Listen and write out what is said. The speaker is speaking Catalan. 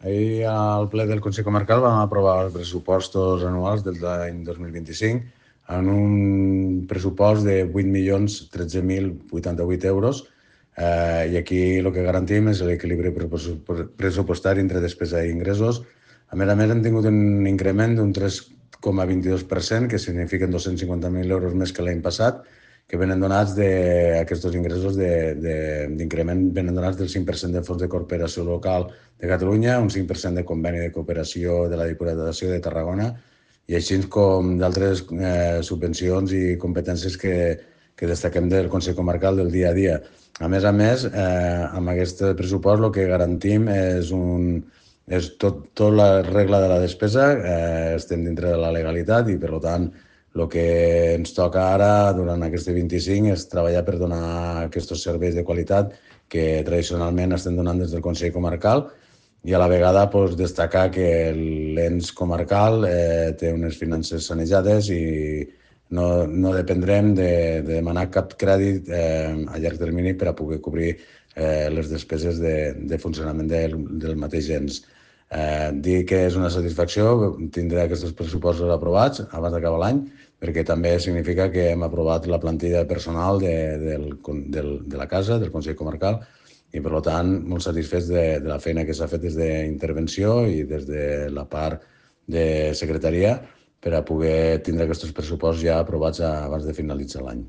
Ahir al ple del Consell Comarcal vam aprovar els pressupostos anuals del l'any 2025 en un pressupost de 8.013.088 euros i aquí el que garantim és l'equilibri pressupostari entre despesa i ingressos. A més, hem tingut un increment d'un 3,22%, que signifiquen 250.000 euros més que l'any passat, que venen donats d'aquests ingressos d'increment, venen donats del 5% de fons de cooperació local de Catalunya, un 5% de conveni de cooperació de la Diputació de Tarragona i així com d'altres subvencions i competències que destaquem del Consell Comarcal del dia a dia. A més, amb aquest pressupost el que garantim és tot la regla de la despesa, estem dintre de la legalitat i, per tant, el que ens toca ara, durant aquest 25, és treballar per donar aquests serveis de qualitat que tradicionalment estem donant des del Consell Comarcal i a la vegada destacar que l'ens comarcal té unes finances sanejades i no dependrem de demanar cap crèdit a llarg termini per a poder cobrir les despeses de funcionament del mateix ens. Dir que és una satisfacció tindre aquests pressupostos aprovats abans d'acabar l'any, perquè també significa que hem aprovat la plantilla personal de la casa, del Consell Comarcal, i per tant molt satisfets de la feina que s'ha fet des d'intervenció i des de la part de secretaria per a poder tindre aquests pressupostos ja aprovats abans de finalitzar l'any.